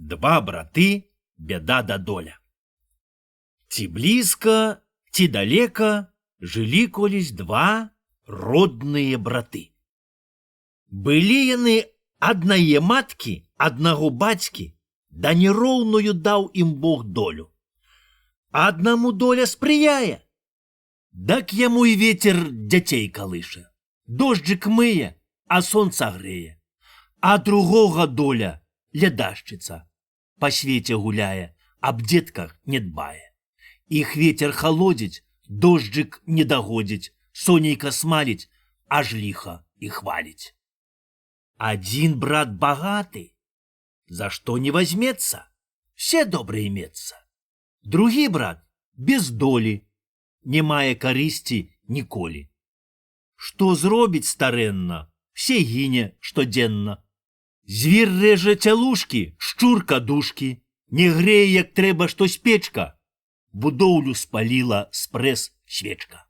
Два браты, беда да доля. Ці блізка, ці далека жылі колись два родныя браты. Былі яны аднае маткі, аднаго бацькі, да нероўную даў ім Бог долю. Аднаму доля спрыяе, дак яму і ветер дзяцей калыша, дожджык мые, а сонца грэе, а другога доля лядашчыца, па свеце гуляе, аб дзетках не дбае. Іх ветер халодзіць, дожджык не дагодзіць, сонейка смаліць, аж ліха і хваліць. Адзін брат багаты, за што не возьмецца, все добры имецца. Другі брат без долі, не мае карысці ніколі. Што зробіць старэнна, все гіне штодзенна. Звір рэжа цялушкі, шчурка душкі, не грэе, як трэба, што спечка. Будоўлю спаліла спрэс свечка.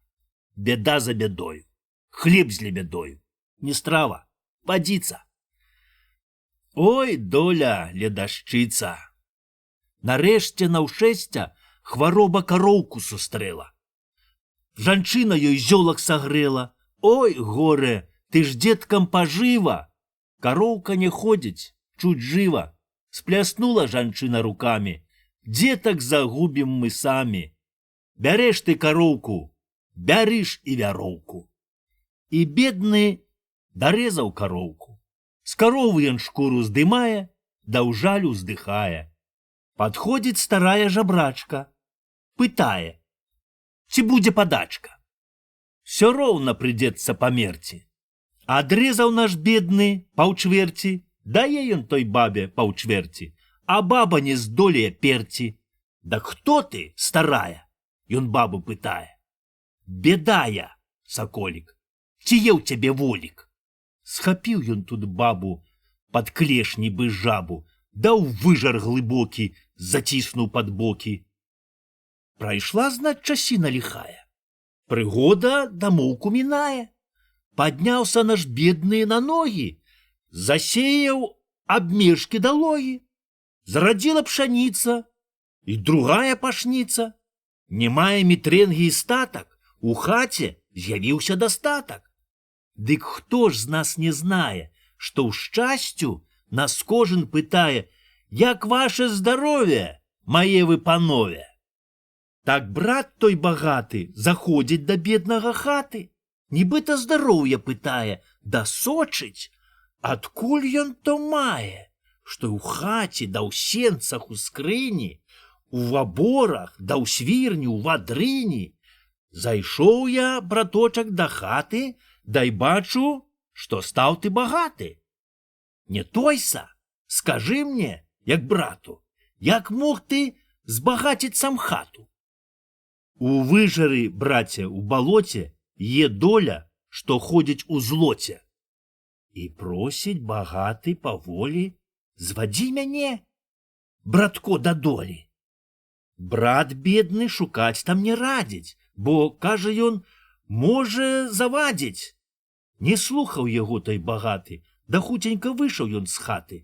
Беда за бядою, хлеб з лебядою, не страва, падзіца. Ой, доля ледашчыца! Нарэшце наўшэсця хвароба кароўку сустрэла. Жанчына ёй зёлак сагрэла. Ой, горе, ты ж дзеткам пажыва! Кароўка не ходзіць, чуць жыва. Спляснула жанчына рукамі. Дзетак загубім мы самі. Бярэш ты кароўку, бярыш і вяроўку. І бедны дарезаў кароўку. З каровы ён шкуру здымае, да ў жалю здыхае. Падходзіць старая жабрачка, пытае, ці будзе падачка. Всё роўна прыйдзецца памерці. Адрэзаў наш бедны паўчвэрці, дае ён той бабе паўчвэрці, а баба не здолее перці. Да хто ты, старая? Ён бабу пытае. Беда я, саколік, ці є ў цябе волік? Схапіў ён тут бабу пад клеш нібы жабу, даў выжар глыбокі, заціснуў пад бокі. Прайшла, знаць, часіна ліхая. Прыгода дамоўку мінае. Падняўся наш бедны на ногі, засеяў абмежкі далогі. Зарадзіла пшаніца, і другая пашніца. Не мае мітрэнгі і статак, у хаце з'явіўся дастатак. Дык хто ж з нас не знае, што ў шчасцю нас кожен пытае, як ваше здаровье, мае вы панове. Так брат той багаты заходзіць да беднага хаты, нібыта здароўе пытае, да сочыць, адкуль ён то мае, што ў хаце, да ў сенцах, у скрыні, у ваборах, да ў свірні, у вадрыні. Зайшоў я, браточак, да хаты, дай бачу, што стаў ты багаты. Не тойса, скажы мне, як брату, як мог ты збагаціць сам хату? У выжары, браце, у балоце є доля, што ходзіць у злоце. І просіць багаты паволі, звадзі мяне, братко, да долі. Брат бедны шукаць там не радзіць, бо, кажа ён, можа завадзіць. Не слухаў яго той багаты, да хуценька выйшаў ён з хаты.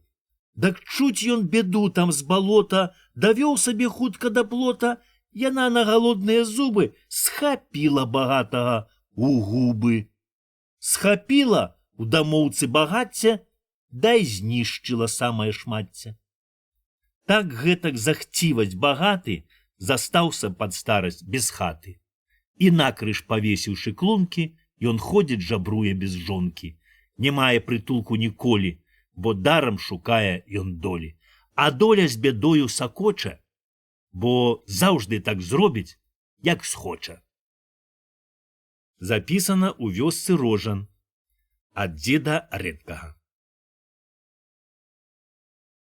Дак чуць ён беду там з балота, давёў сабе хутка да плота, яна на галодныя зубы схапіла багатага у губы. Схапіла у дамоўцы багацця, дай знішчыла самае шмацце. Так гэтак захціваць багаты застаўся пад старасць без хаты. І накрыж павесіўшы клункі, ён ходзіць, жабруе без жонкі. Не мае прытулку ніколі, бо дарам шукае ён долі. А доля з бядою сакоча, бо заўжды так зробіць, як схоча. Запісана ў вёсцы Рожан ад дзеда рэдкага.